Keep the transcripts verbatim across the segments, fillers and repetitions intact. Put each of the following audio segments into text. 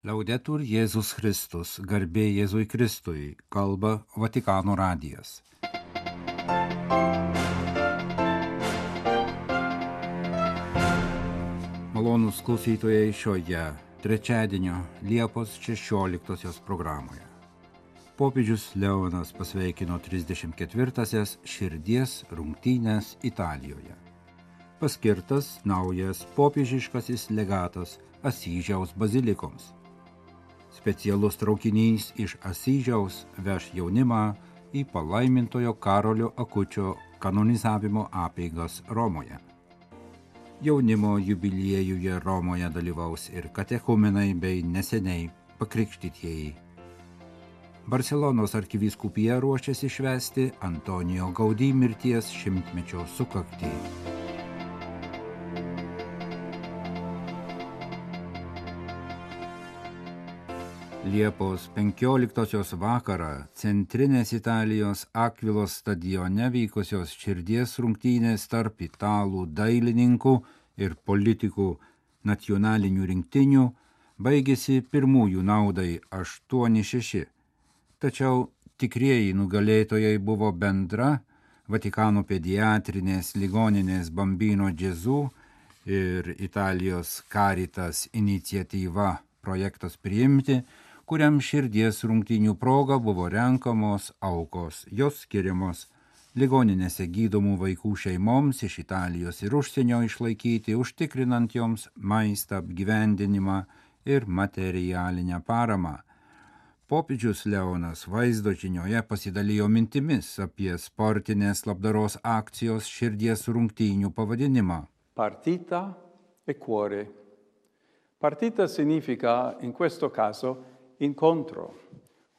Laudetur Jėzus Kristus, garbė Jėzui Kristui, kalba Vatikano radijas. Malonūs klausytojai šioje trečiadienio Liepos šešioliktosios programoje. Popiežius Leonas pasveikino trisdešimt ketvirtąsias širdies rungtynes Italijoje. Paskirtas naujas popiežiškasis legatas Asyžiaus bazilikoms. Specialus traukinys iš Asyžiaus veš jaunimą į palaimintojo Karolio Akučio kanonizavimo apeigas Romoje. Jaunimo jubiliejuje Romoje dalyvaus ir katechumenai bei neseniai pakrikštytieji. Barselonos arkivyskupija ruošiasi švęsti Antonijo Gaudí mirties šimtmečio sukaktį. Liepos penkioliktosios vakarą centrinės Italijos Akvilos stadione vykusios širdies rungtynės tarp italų dailininkų ir politikų nacionalinių rinktinių baigėsi pirmųjų naudai aštuoni šeši. Tačiau tikrieji nugalėtojai buvo bendra Vatikano pediatrinės ligoninės Bambino Gesù ir Italijos Caritas iniciatyva projektas priimti, kuriam širdies rungtynių proga buvo renkamos aukos, jos skiriamos ligoninėse gydomų vaikų šeimoms iš Italijos ir užsienio išlaikyti, užtikrinant joms maistą, apgyvendinimą ir materialinę paramą. Popiežius Leonas vaizdo žinioje pasidalijo mintimis apie sportinės labdaros akcijos širdies rungtynių pavadinimą. Partita e cuore. Partita significa in questo caso incontro,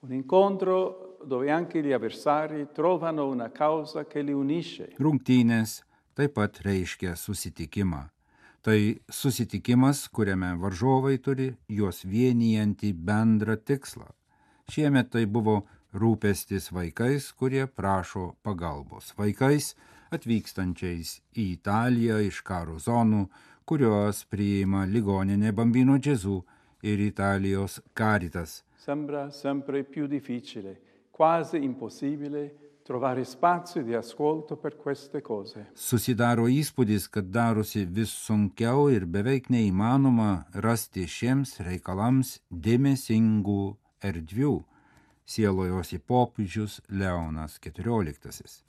un incontro dove anche gli avversari trovano una causa che li unisce. Rungtynės taip pat reiškia susitikimą. Tai susitikimas, kuriame varžovai turi juos vienijantį bendrą tikslą. Šiemet tai buvo rūpestis vaikais, kurie prašo pagalbos. Vaikais atvykstančiais į Italiją iš karo zonų, kurios priima ligoninė Bambino Gesù ir Italijos Caritas. Sembra sempre più difficile, quasi impossibile, trovare spazio di ascolto per queste cose. Susidaro įspūdis, kad darosi vis sunkiau ir beveik neįmanoma rasti šiems reikalams dėmesingų erdvių, sielojosi popiežius Leonas keturioliktasis.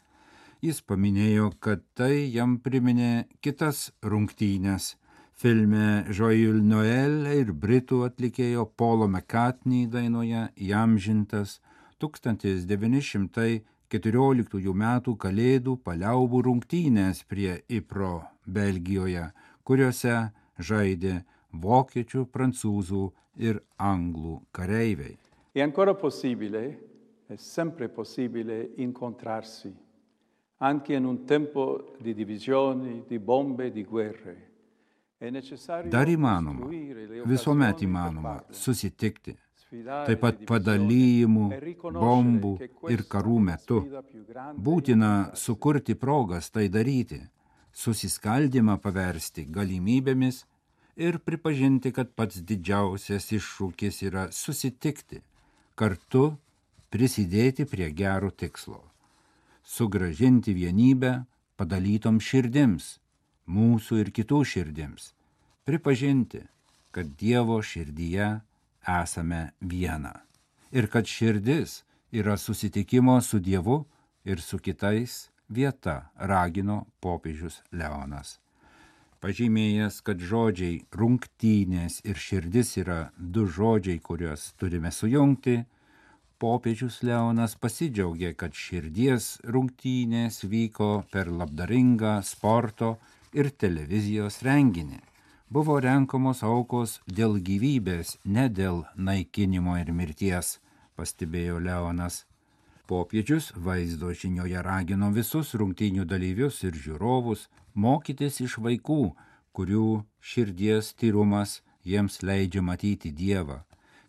Jis paminėjo, kad tai jam priminė kitas rungtynes. Filme Joyeux Noël ir britų atlikėjo Paulo McCartney dainoje įamžintas tūkstantis devyni šimtai keturioliktųjų metų kalėdų paliaubų rungtynės prie Ypro, Belgijoje, kuriuose žaidė vokiečių, prancūzų ir anglų kareiviai. È ancora possibile, è sempre possibile incontrarsi, anche in un tempo di divisioni, di bombe, di guerre. Dar įmanoma, visuomet įmanoma susitikti, taip pat padalijimų, bombų ir karų metu. Būtina sukurti progas tai daryti, susiskaldymą paversti galimybėmis ir pripažinti, kad pats didžiausias iššūkis yra susitikti, kartu prisidėti prie gero tikslo, sugrąžinti vienybę padalytom širdims, mūsų ir kitų širdims, pripažinti, kad Dievo širdyje esame viena ir kad širdis yra susitikimo su Dievu ir su kitais vieta, ragino popiežius Leonas. Pažymėjęs, kad žodžiai rungtynės ir širdis yra du žodžiai, kuriuos turime sujungti, popiežius Leonas pasidžiaugė, kad širdies rungtynės vyko per labdaringą sporto ir televizijos renginį. Buvo renkamos aukos dėl gyvybės, ne dėl naikinimo ir mirties, pastebėjo Leonas. Popiežius vaizdo žinioje ragino visus rungtynių dalyvius ir žiūrovus mokytis iš vaikų, kurių širdies tyrumas jiems leidžia matyti Dievą.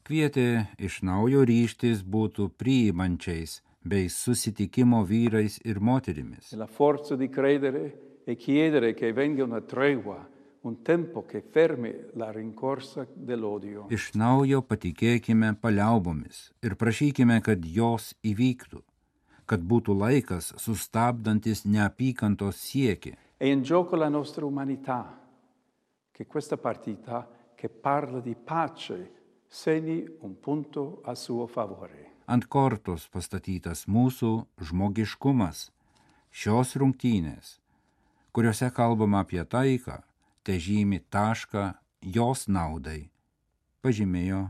Kvietė iš naujo ryžtis būtų priimančiais bei susitikimo vyrais ir moterimis. La forza di credere e chiedere che venga una tregua, un tempo che fermi la rincorsa dell'odio. Iš naujo patikėkime paliaubomis ir prašykime, kad jos įvyktų, kad būtų laikas sustabdantis neapykantos siekį. È in gioco la nostra umanità, che questa partita che parla di pace segni un punto a suo favore. Ant kortos pastatytas mūsų žmogiškumas, šios rungtynės, kuriuose kalbama apie taiką, te žymi tašką jos naudai, pažymėjo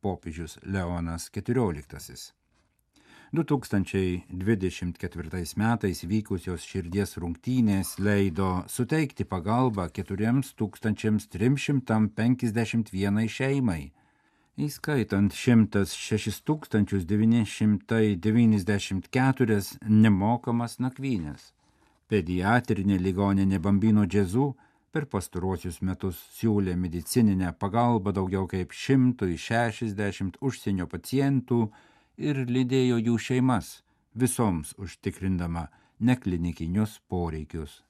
popiežius Leonas keturioliktasis. du tūkstančiai dvidešimt ketvirtais metais vykusios širdies rungtynės leido suteikti pagalbą keturiems tūkstančiams trims šimtams penkiasdešimt vienai šeimai, įskaitant šimtas šešis tūkstančius devyni šimtai devyniasdešimt keturias nemokamas nakvynės. Pediatrinė ligoninė Bambino Gesù per pastaruosius metus siūlė medicininę pagalbą daugiau kaip šimtui šešiasdešimt užsienio pacientų ir lydėjo jų šeimas, visoms užtikrindama neklinikinius poreikius.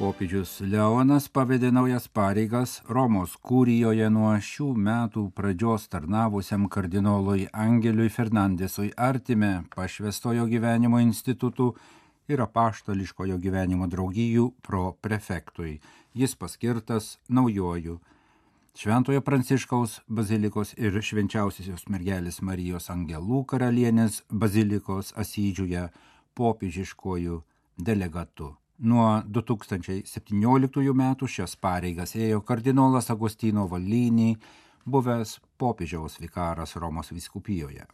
Popiežius Leonas pavedė naujas pareigas Romos kurijoje nuo šių metų pradžios tarnavusiam kardinolui Angeliui Fernandesui Artime pašvestojo gyvenimo institutų ir apaštališkojo gyvenimo draugijų proprefektui. Jis paskirtas naujoju Šventojo Pranciškaus bazilikos ir Švenčiausiosios mergelės Marijos Angelų karalienės bazilikos Asyžiuje popiežiškojų delegatu. Nuo du tūkstančiai septynioliktųjų metų šias pareigas ėjo kardinolas Agostino Valini, buvęs popiežiaus vikaras Romos vyskupijoje.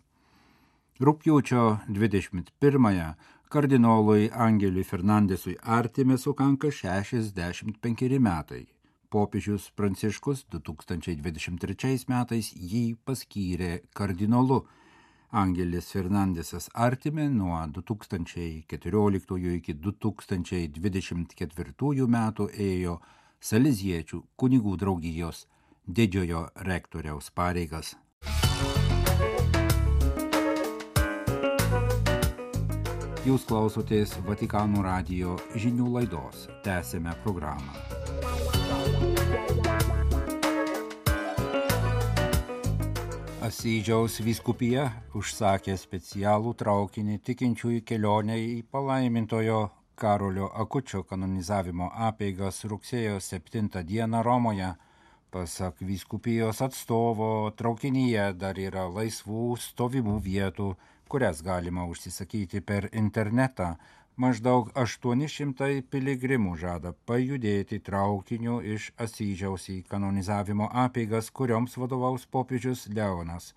Rugpjūčio dvidešimt pirmąją kardinolui Angeliui Fernandesui Artime sukanka šešiasdešimt penkeri metai. Popiežius Pranciškus du tūkstančiai dvidešimt trečiais metais jį paskyrė kardinolu. Angelis Fernandesas Artime nuo du tūkstančiai keturioliktųjų iki du tūkstančiai dvidešimt ketvirtųjų metų ėjo Saleziečių kunigų draugijos didžiojo rektoriaus pareigas. Jūs klausotės Vatikano radijo žinių laidos. Tęsėme programą. Asyžiaus vyskupija užsakė specialų traukinį tikinčiųjų kelionę į palaimintojo Karolio Akučio kanonizavimo apeigas rugsėjo septintą dieną Romoje. Pasak vyskupijos atstovo, traukinyje dar yra laisvų stovimų vietų, kurias galima užsisakyti per internetą. Maždaug aštuoni šimtai piligrimų žada pajudėti traukiniu iš Asyžiaus į kanonizavimo apeigas, kurioms vadovaus popiežius Leonas.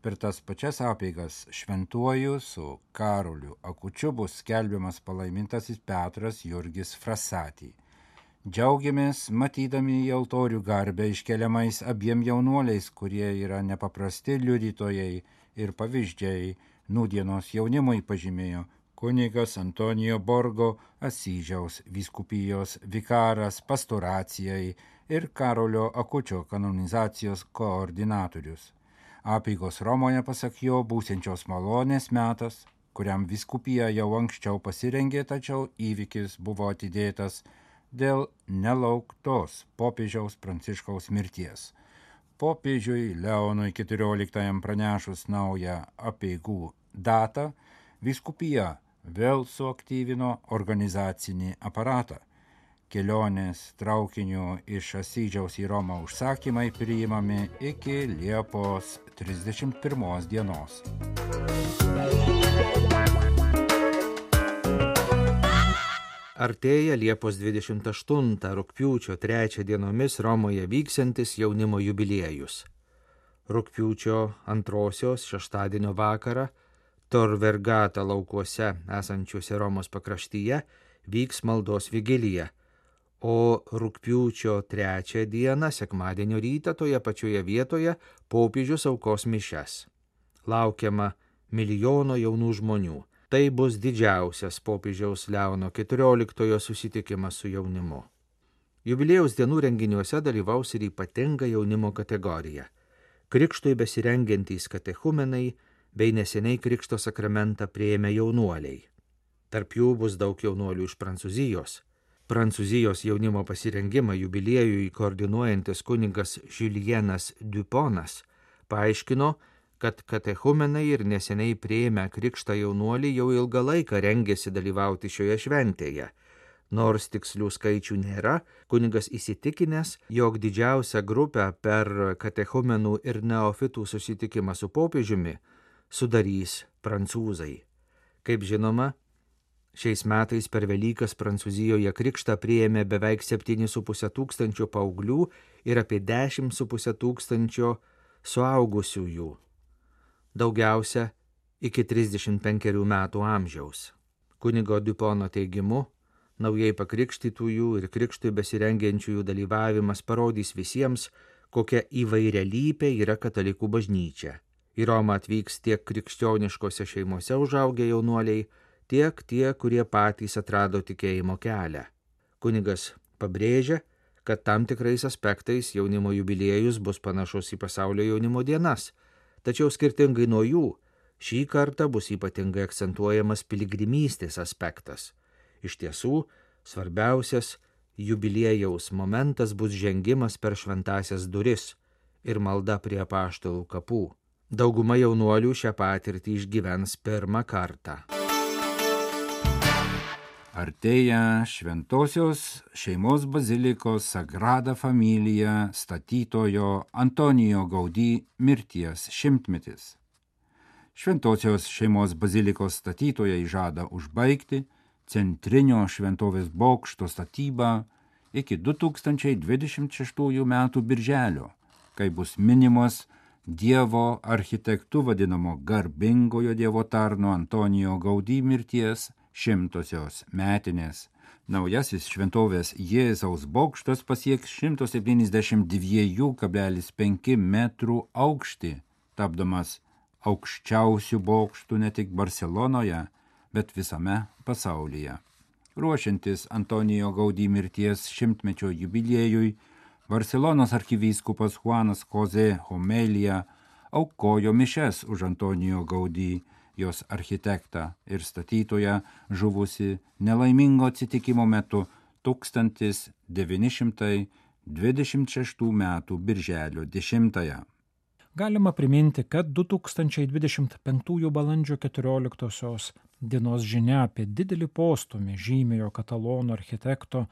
Per tas pačias apeigas šventuoju su Karoliu Akučiu bus skelbiamas palaimintasis Petras Jurgis Frassati. Džiaugiamės matydami į altorių garbę iškeliamais abiem jaunuoliais, kurie yra nepaprasti liudytojai ir pavyzdžiai nūdienos jaunimui, pažymėjo kunigas Antonijo Borgo, Asyžiaus vyskupijos vikaras pastoracijai ir Karolio Akučio kanonizacijos koordinatorius. Apeigos Romoje, pasak jo, būsiančios malonės metas, kuriam vyskupija jau anksčiau pasirengė, tačiau įvykis buvo atidėtas dėl nelauktos popiežiaus Pranciškaus mirties. Popiežiui Leonui keturioliktajam pranešus naują apeigų datą, vyskupija vėl suaktyvino organizacinį aparatą. Kelionės traukiniu iš Asyžiaus į Romą užsakymai priimami iki Liepos trisdešimt pirmos dienos. Artėja Liepos dvidešimt aštuntą rugpjūčio trečią dienomis Romoje vyksiantis jaunimo jubiliejus. Rugpjūčio antrosios šeštadienio vakarą Tor Vergata laukuose esančiuose Romos pakraštyje vyks maldos vigilija, o rugpjūčio trečią dieną, sekmadienio rytą, toje pačioje vietoje popiežius aukos mišias. Laukiama milijono jaunų žmonių. Tai bus didžiausias popiežiaus Leono keturioliktojo susitikimas su jaunimu. Jubiliejaus dienų renginiuose dalyvaus ir ypatinga jaunimo kategorija. Krikštui besirengiantys katechumenai bei neseniai krikšto sakramentą priėmę jaunuoliai. Tarp jų bus daug jaunuolių iš Prancūzijos. Prancūzijos jaunimo pasirengimą jubiliejui koordinuojantis kunigas Julienas Duponas paaiškino, kad katechumenai ir neseniai priėmę krikštą jaunuolį jau ilgą laiką rengėsi dalyvauti šioje šventėje. Nors tikslių skaičių nėra, kunigas įsitikinęs, jog didžiausią grupę per katechumenų ir neofitų susitikimą su popiežiumi sudarys prancūzai. Kaip žinoma, šiais metais per Velykas Prancūzijoje krikštą priėmė beveik septyni su puse tūkstančio paauglių ir apie dešimt su puse tūkstančio suaugusiųjų. Daugiausia iki trisdešimt penkerių metų amžiaus. Kunigo Dupono teigimu, naujai pakrikštytųjų ir krikštui besirengiančiųjų dalyvavimas parodys visiems, kokia įvairialypė yra katalikų bažnyčia. Į Romą atvyks tiek krikščioniškose šeimose užaugę jaunuoliai, tiek tie, kurie patys atrado tikėjimo kelią. Kunigas pabrėžia, kad tam tikrais aspektais jaunimo jubiliejus bus panašus į pasaulio jaunimo dienas, tačiau skirtingai nuo jų, šį kartą bus ypatingai akcentuojamas piligrimystės aspektas. Iš tiesų, svarbiausias jubiliejaus momentas bus žengimas per šventąsias duris ir malda prie apaštalų kapų. Dauguma jaunuolių šią patirtį išgyvens pirmą kartą. Artėja Šventosios šeimos bazilikos Sagrada Familia statytojo Antonijo Gaudí mirties šimtmetis. Šventosios šeimos bazilikos statytojai žada užbaigti centrinio šventovės bokšto statybą iki du tūkstančiai dvidešimt šeštųjų metų birželio, kai bus minimos Dievo architektu vadinamo garbingojo Dievo tarno Antonijo Gaudí mirties šimtosios metinės. Naujasis šventovės Jėzaus bokštas pasieks šimtas septyniasdešimt du kablelis penki metrų aukštį, tapdamas aukščiausių bokštų ne tik Barselonoje, bet visame pasaulyje. Ruošiantis Antonijo Gaudí mirties šimtmečio jubiliejui, Barselonos arkivyskupas Juanas José Homelija aukojo mišes už Antonijo Gaudí, jos architektą ir statytoją žuvusi nelaimingo atsitikimo metu tūkstantis devyni šimtai dvidešimt šeštų metų birželio dešimtąją. Galima priminti, kad du tūkstančiai dvidešimt penktųjų balandžio keturioliktosios dienos žinia apie didelį postūmį žymiojo katalonų architekto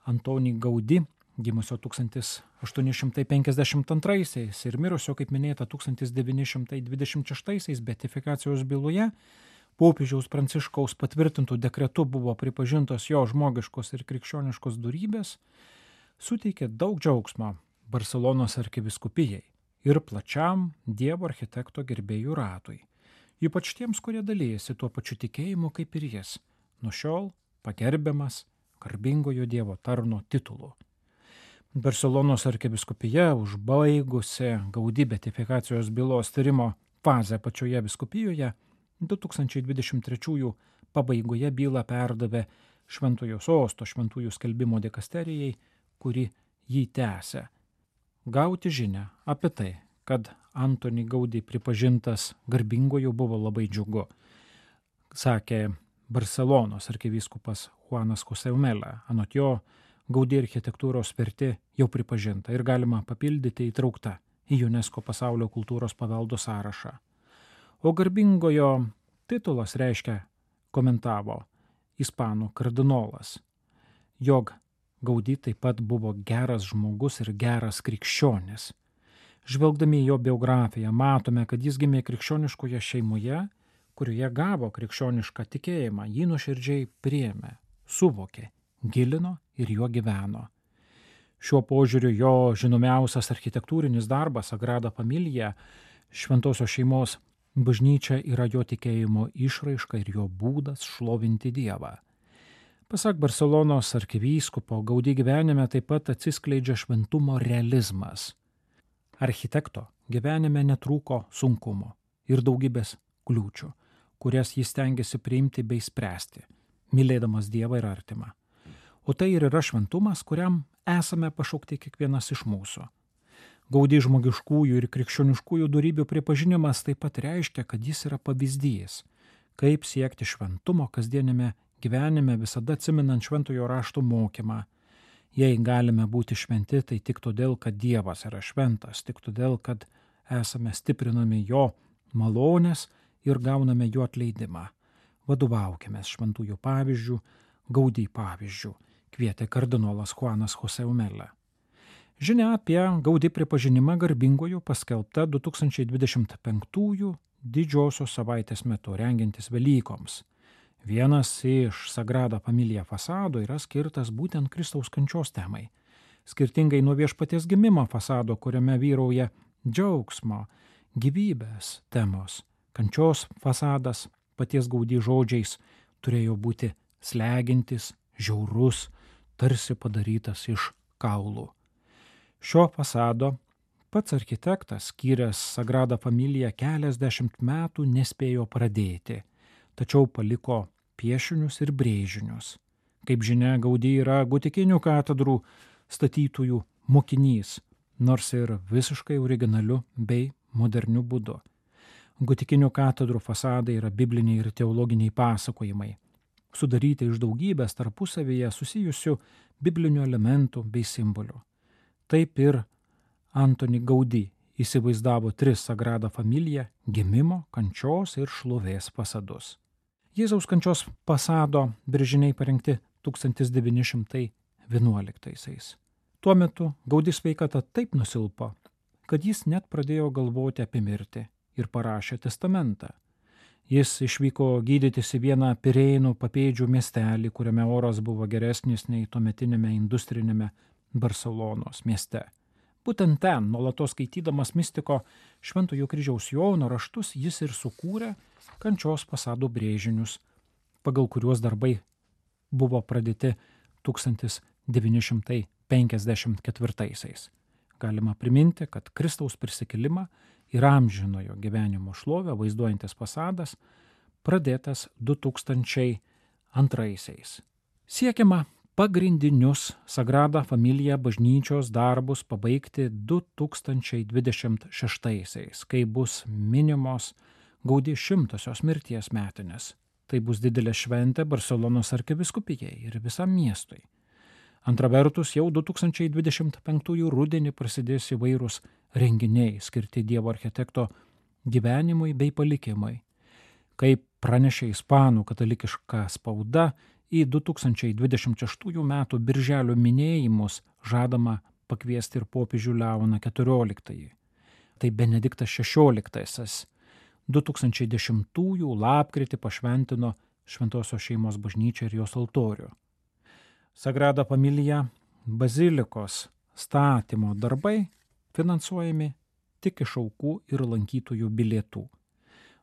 Antonį Gaudí, gimusio tūkstantis aštuoni šimtai penkiasdešimt antraisiais ir mirusio, kaip minėta, tūkstantis devyni šimtai dvidešimt šeštaisiais beatifikacijos byloje, popiežiaus Pranciškaus patvirtintų dekretu buvo pripažintos jo žmogiškos ir krikščioniškos dorybės, suteikė daug džiaugsmo Barselonos arkivyskupijai ir plačiam Dievo architekto gerbėjų ratui, ypač tiems, kurie dalyjasi tuo pačiu tikėjimu kaip ir jis, nuo šiol pagerbiamas garbingojo Dievo tarno titulu. Barselonos arkivyskupija, užbaigusi Gaudí beatifikacijos bylos tyrimo fazę pačioje vyskupijoje, du tūkstančiai dvidešimt trečiųjų pabaigoje bylą perdavė Šventojo Sosto šventųjų skelbimo dikasterijai, kuri jį tęsė. Gauti žinią apie tai, kad Antonį Gaudí pripažintas garbingoju, buvo labai džiugu, sakė Barselonos arkivyskupas Juanas José Homelija. Anot jo, Gaudí architektūros vertė jau pripažinta ir galima papildyti įtraukta į UNESCO pasaulio kultūros paveldo sąrašą. O garbingojo titulas reiškia, komentavo ispanų kardinolas, jog Gaudí taip pat buvo geras žmogus ir geras krikščionis. Žvelgdami į jo biografiją, matome, kad jis gimė krikščioniškoje šeimoje, kurioje gavo krikščionišką tikėjimą, jį nuoširdžiai priėmė, suvokė, gilino ir juo gyveno. Šiuo požiūriu jo žinomiausias architektūrinis darbas Sagrada Familia, šventosios šeimos bažnyčia, yra jo tikėjimo išraiška ir jo būdas šlovinti Dievą. Pasak Barselonos arkivyskupo, Gaudí gyvenime taip pat atsiskleidžia šventumo realizmas. Architekto gyvenime netrūko sunkumo ir daugybės kliūčių, kurias jis stengiasi priimti bei spręsti, mylėdamas Dievą ir artimą. O tai ir yra šventumas, kuriam esame pašaukti kiekvienas iš mūsų. Gaudí žmogiškųjų ir krikščioniškųjų dorybių pripažinimas taip pat reiškia, kad jis yra pavyzdys, kaip siekti šventumo kasdienėme gyvenime visada atsiminant šventojo rašto mokymą. Jei galime būti šventi, tai tik todėl, kad Dievas yra šventas, tik todėl, kad esame stiprinami jo malonės ir gauname jo atleidimą. Vadovaukime šventųjų pavyzdžių, Gaudį pavyzdžių, kvietė kardinolas Juanas Jose Umela. Žinia apie Gaudį pripažinimą garbingojo paskelbta du tūkstančiai dvidešimt penktųjų didžiosios savaitės metu rengiantis Velykoms. Vienas iš Sagrada Familia fasado yra skirtas būtent Kristaus kančios temai. Skirtingai nuo Viešpaties gimimo fasado, kuriame vyrauja džiaugsmo, gyvybės temos, kančios fasadas paties Gaudį žodžiais turėjo būti slegintis, žiaurus, tarsi padarytas iš kaulų. Šio fasado pats architektas, skyręs Sagrada Familia keliasdešimt metų, nespėjo pradėti, tačiau paliko piešinius ir brėžinius. Kaip žinia, Gaudį yra gotikinių katedrų statytojų mokinys, nors ir visiškai originaliu bei moderniu būdu. Gotikinių katedrų fasadai yra bibliniai ir teologiniai pasakojimai, sudaryti iš daugybės tarpusavyje susijusių biblinių elementų bei simbolių. Taip ir Antoni Gaudį įsivaizdavo tris Sagrada Familia gimimo, kančios ir šlovės fasadus. Jėzaus kančios fasado brėžiniai parengti tūkstantis devyni šimtai vienuoliktaisiais. Tuo metu Gaudį sveikata taip nusilpo, kad jis net pradėjo galvoti apie mirtį ir parašė testamentą. Jis išvyko gydytis į vieną Pirėnų papėdžių miestelį, kuriame oras buvo geresnis nei tuometinėme industrinėme Barselonos mieste. Būtent ten, nuolatos skaitydamas mistiko Šventojo kryžiaus Jono raštus, jis ir sukūrė kančios fasado brėžinius, pagal kuriuos darbai buvo pradėti tūkstantis devyni šimtai penkiasdešimt ketvirtaisiais. Galima priminti, kad Kristaus prisikėlimą ir amžinojo gyvenimo šlovę vaizduojantis fasadas pradėtas du tūkstančiai antraisiais. Siekiama pagrindinius Sagrada Familia bažnyčios darbus pabaigti du tūkstančiai dvidešimt šeštaisiais, kai bus minimos Gaudį šimtosios mirties metinės. Tai bus didelė šventė Barselonos arkivyskupijai ir visam miestui. Antra vertus, jau du tūkstančiai dvidešimt penktųjų rudenį prasidės įvairūs renginiai skirti Dievo architekto gyvenimui bei palikimui. Kaip pranešė ispanų katalikiška spauda, į du tūkstančiai dvidešimt šeštųjų metų birželio minėjimus žadama pakviesti ir popiežių Leoną keturioliktąjį. Tai Benediktas šešioliktasis du tūkstančiai dešimtųjų lapkritį pašventino Šventosios šeimos bažnyčią ir jos altorių. Sagrada Familia bazilikos statymo darbai finansuojami tik iš aukų ir lankytojų bilietų.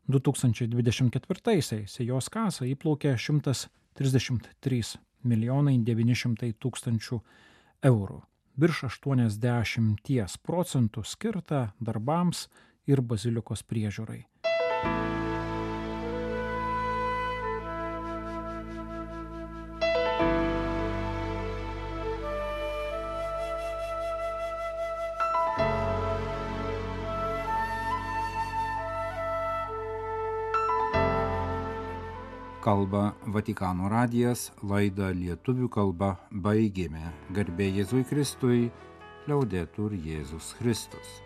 du tūkstančiai dvidešimt ketvirtaisiais į jos kasą įplaukė šimtas trisdešimt trys milijonai devyni šimtai tūkstančių eurų. Virš aštuoniasdešimt procentų skirta darbams ir bazilikos priežiūrai. Kalba Vatikano radijas, laidą lietuvių kalba baigėme. Garbė Jėzui Kristui, liaudetur Jėzus Kristus.